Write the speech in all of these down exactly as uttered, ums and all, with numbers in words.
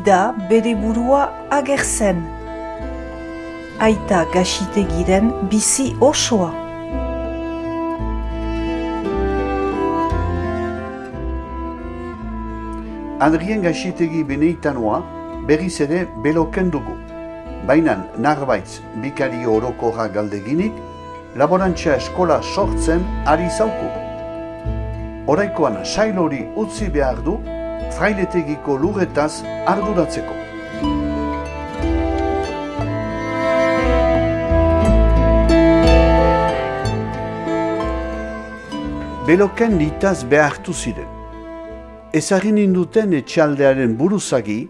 da bere burua agertzen. Aita Gaxitegiren bizi osoa. Adrien Gaxitegi Beneitanoa berriz ere beloken dugu. Baina narbaitz bikari orokorra galdeginik, laborantza eskola sortzen ari zauku. Oraikoan sail hori utzi behar du, frailetegiko lurretaz arduratzeko. Beloken nitaz behartu ziren. Ezagin induten etxaldearen buruzagi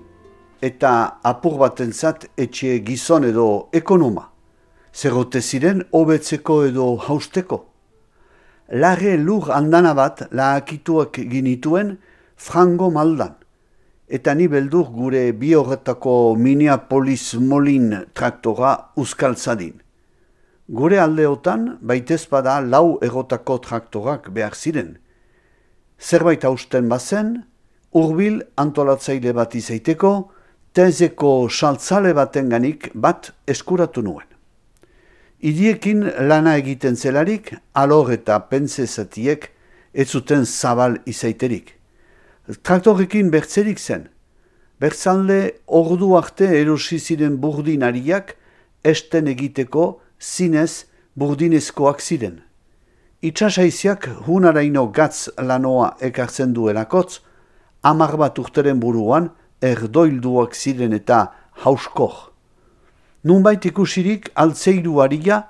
eta apur batentzat etxe gizon edo ekonoma. Zerote ziren hobetzeko edo hausteko. Larre lur andana bat lahakituak ginituen frango maldan. Eta ni beldur gure bi horretako Minneapolis Molin traktora uzkaltzadin. Gure aldeotan baitezpada lau erotako traktorak behar ziren. Zerbait hausten bazen, hurbil antolatzaile bat izaiteko, tezeko saltzale batenganik bat eskuratu nuen. Idiekin lana egiten zelarik, alor eta pentsezatiek ez zuten zabal izaiterik. Traktorekin bertzerik zen. Bertzalde ordu arte erosi ziren burdinariak esten egiteko zinez burdinezkoak ziren. Itxasaiziak hunaraino gatz lanoa ekartzen duelakotz, hamar bat urteren buruan erdoilduak ziren eta hauskor. Nunbait ikusirik altzeiru haria,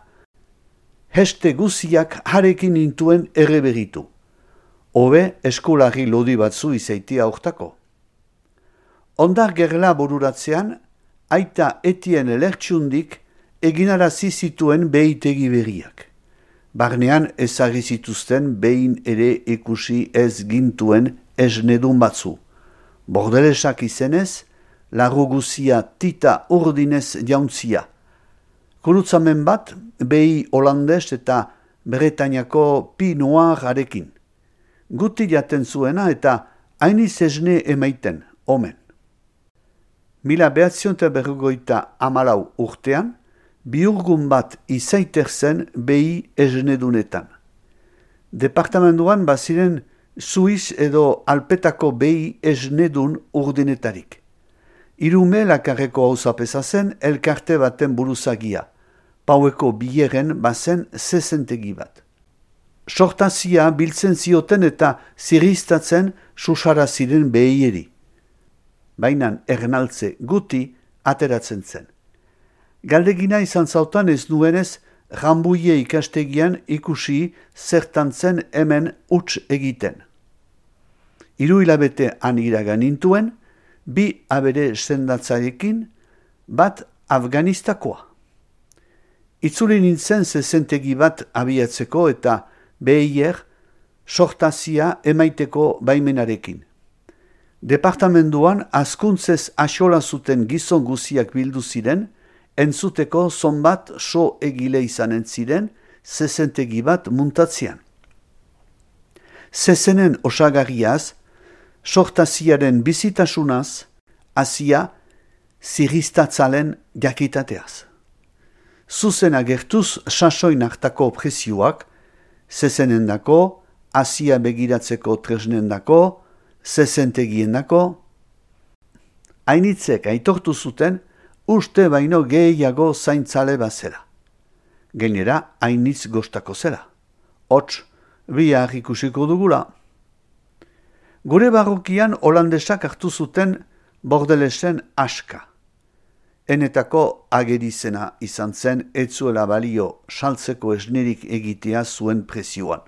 heste guziak harekin intuen erreberitu. Hobe eskolari lodi batzu izaitia hortako. Ondar gerla bururatzean, aita etien elertxundik eginarazi zituen behitegi berriak. Barnean ezagri zituzten behin ere ikusi ez gintuen esnedun batzu. Bordelesak izenez, larru guzia tita urdinez jauntzia. Kurutzamen bat, behi holandes eta Bretainako pi noir arekin. Guti jaten zuena eta hainiz esne emaiten, omen. Mila behatzion eta berrogoita amalau urtean, biurgun bat izaiter zen behi esnedunetan. Departamentuan baziren Suiz edo Alpetako behi esnedun urdinetarik. Irume lakarreko hauzapeza zen elkarte baten buruzagia. Paueko bileren bazen zezentegi bat. Sortazia biltzen zioten eta ziristatzen susara ziren behieri. Bainan ernaltze guti ateratzen zen. Galdegina izan zautan ez nuenez, Rambuie ikastegian ikusi zertantzen hemen huts egiten. Hiru hilabete han iragan nintuen, bi abere sendatzarekin, bat Afganistakoa. Itzuli nintzen zezentegi bat abiatzeko eta behier sortazia emaiteko baimenarekin. Departamentuan askuntzez axola zuten gizon guziak bildu ziren, entzuteko zonbat so egile izanen ziren zezentegi bat muntatzean. Zezenen osagarriaz, sortaziaren bizitasunaz, hasia ziristatzalen jakitateaz. Zuzen agertuz sasoin hartako prezioak, zezenendako, hasia begiratzeko tresnendako, zezentegiendako. Hainitzek aitortu zuten, uste baino gehiago zaintzale bazela. Gainera, hainitz gostako zela. Hots, bihar ikusiko dugula. Gure barrukian holandesak hartu zuten bordelesen aska. Enetako agerizena izan zen etzuela balio saltzeko esnerik egitea zuen prezioan.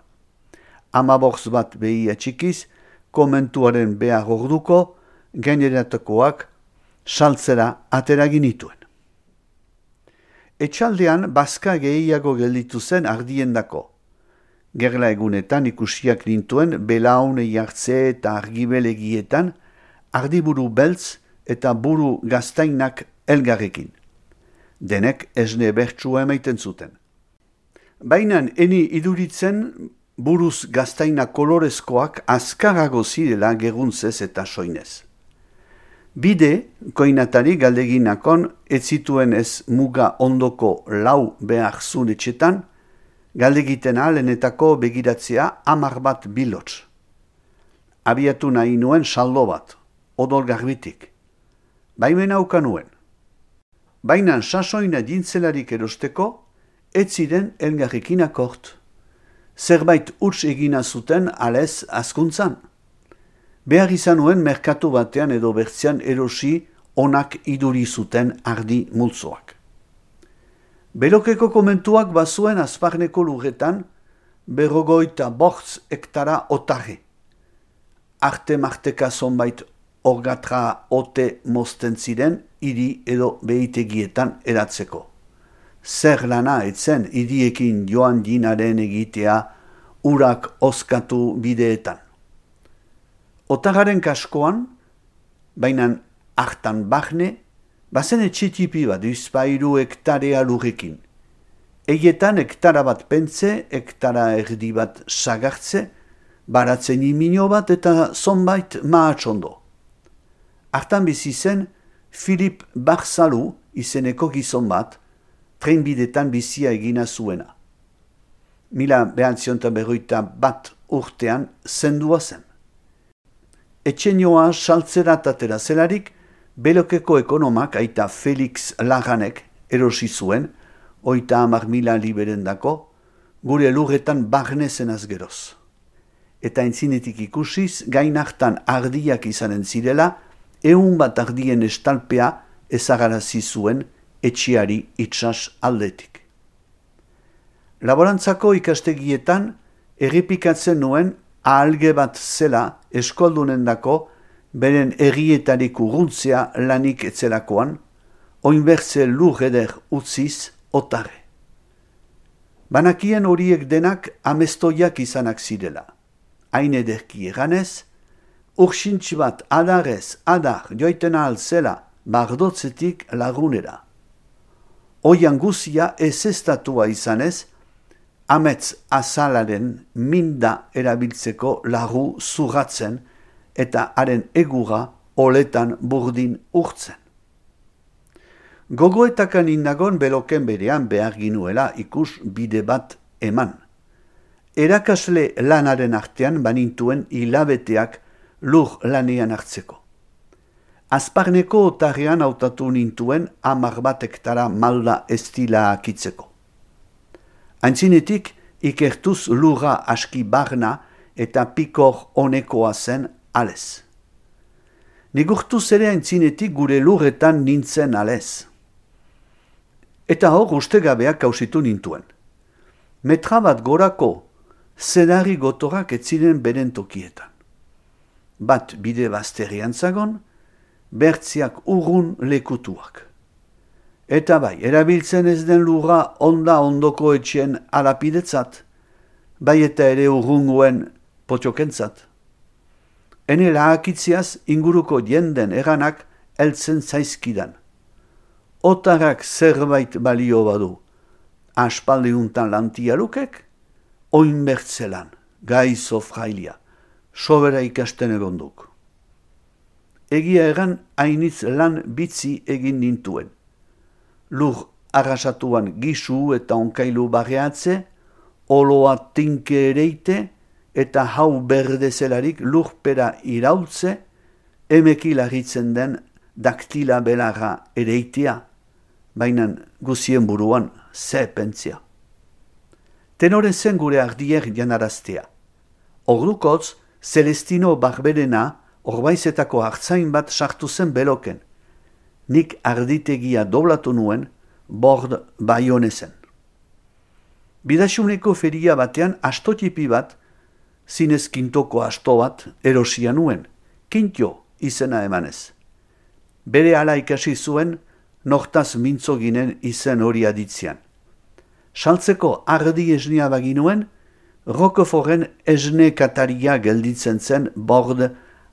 Amaborz bat behi atxikiz, komentuaren behar orduko, gaineratakoak saltzera atera ginituen. Etxaldean bazka gehiago gelditu zen ardiendako. Gerla egunetan ikusiak nintuen belaune jartze eta argibelegietan ardiburu beltz eta buru gaztainak elgarrekin. Denek esne bertsua emaiten zuten. Bainan eni iduritzen buruz gaztaina kolorezkoak azkarago zirela geruntzez eta soinez. Bide, koinatari galdeginakon, ez zituen ez muga ondoko lau behar zun etxetan, galdegiten alenetako begiratzea hamar bat bilots. Abiatu nahi nuen saldo bat, odol garbitik. Baimen hauka nuen. Baina sasoina dintzelarik erosteko, ez ziren elgarrekin akort. Zerbait huts egina zuten alez azkuntzan. Behar izan nuen merkatu batean edo bertzean erosi onak iduri zuten ardi multzoak. Berokeko komentuak bazuen azparneko lurretan berrogoita bortz hektara otarre. Arte marteka zonbait orgatra ote mozten ziren hiri edo behitegietan eratzeko. Zer lana etzen hiriekin joan dinaren egitea urak oskatu bideetan. Otararen kaskoan, bainan hartan bahne, bazen etxetipi bat izpairu hektarea lurrekin. Eietan hektara bat pentze, hektara erdi bat sagartze, baratzen imino bat eta zonbait mahatsondo. Hartan bizi zen Filip Barzalu izeneko gizon bat, trenbidetan bizia egina zuena. Mila behantzionta berroita bat urtean zendua zen. Etxenioa saltzeratatera zelarik, Belokeko ekonomak aita Felix Laganek erosi zuen, oita hamar mila liberendako, gure lurretan barnezen azgeroz. Eta entzinetik ikusiz, gain hartan ardiak izanen zirela, ehun bat ardien estalpea ezagarazi zuen etxiari itsas aldetik. Laborantzako ikastegietan errepikatzen nuen ahalge bat zela eskoldunendako beren errietarik urruntzea lanik etzelakoan, oinbertze lur eder utziz otarre. Banakien horiek denak amestoiak izanak zirela. Hain ederki eganez, urxintx bat adarez adar joiten ahal zela bardotzetik lagunera. Oian guzia ez estatua izanez, amets azalaren minda erabiltzeko lagu zurratzen eta haren egura oletan burdin urtzen. Gogoetakan indagon Beloken berean behar ginuela ikus bide bat eman. Erakasle lanaren artean banintuen hilabeteak lur lanean hartzeko. Azparneko otarrean hautatu nintuen hamar bat hektara malda estila akitzeko. Antzinetik ikertuz lurra aski barna eta pikor honekoa zen alez. Nigurtuz ere antzinetik gure lurretan nintzen alez. Eta hor ustegabeak kausitu nintuen. Metra bat gorako zedari gotorak etziren beren tokietan. Bat bide bazterian zagon, bertziak urrun lekutuak. Eta bai, erabiltzen ez den lurra onda ondoko etxien alapidetzat, bai eta ere urrungoen potiokentzat. Ene lahakitziaz inguruko jenden eranak heltzen zaizkidan. Otarrak zerbait balio badu, aspaldiuntan lantialukek, oinbertzelan, gaizo frailia, sobera ikasten egonduk. Egia egan hainitz lan bitzi egin nintuen. Lur arrasatuan gisu eta onkailu barreatze, oloa tinke ereite eta hau berdezelarik lurpera iraultze, emeki larritzen den daktila belarra ereitea, bainan guzien buruan ze pentzia. Tenore zen gure ardier janaraztea. Ordukotz, Celestino Barberena orbaizetako hartzain bat sartu zen Beloken. Nik arditegia doblatu nuen, bord baionezen. Bidaxuneko feria batean astotipi bat, zinez kintoko asto bat, erosia nuen, kintio izena emanez. Bere ala ikasi zuen, nortaz mintzo ginen izen hori aditzean. Saltzeko ardi esnia baginuen, Roqueforten esne kataria gelditzen zen bord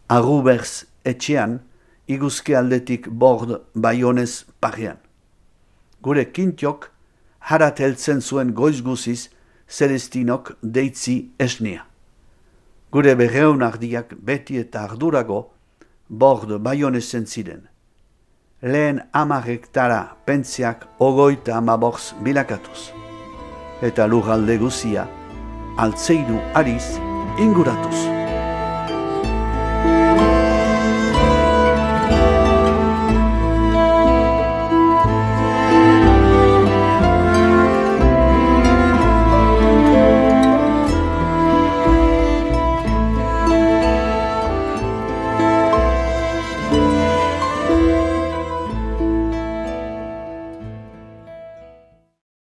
Arruberz etxean, iguzke aldetik bord baionez parean. Gure kintiok harat heltzen zuen goiz guziz Celestinok deitzi esnea. Gure berreun ardiak beti eta ardurago bord baionezen ziren. Lehen hamar hektara pentziak ogoita amaborz bilakatuz. Eta lurralde guzia, altzeiru ariz inguratuz.